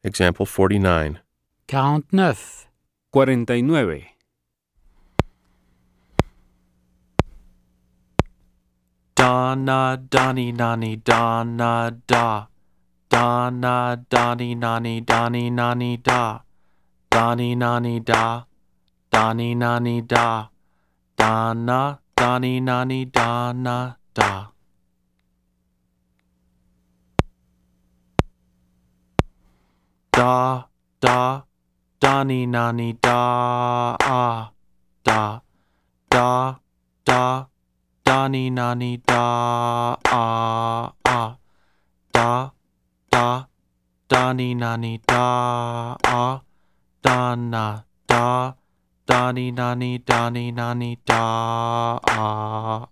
Example 49. 49. 49. Donna, Donnie, Nani, Donna, da. Donna, Donnie, Nani, Donnie, Nani, da. Donnie, Nani, da. Donnie, Nani, da. Donna, Donnie, Nani, Donna, da. Da, da, Donnie, Nani, da, ah, da. Da, da, Donnie, Nani, da, ah, ah. Da, da, Donnie, Nani, da, ah. Donna, da, Donnie, Nani, Donnie, Nani, da, ah.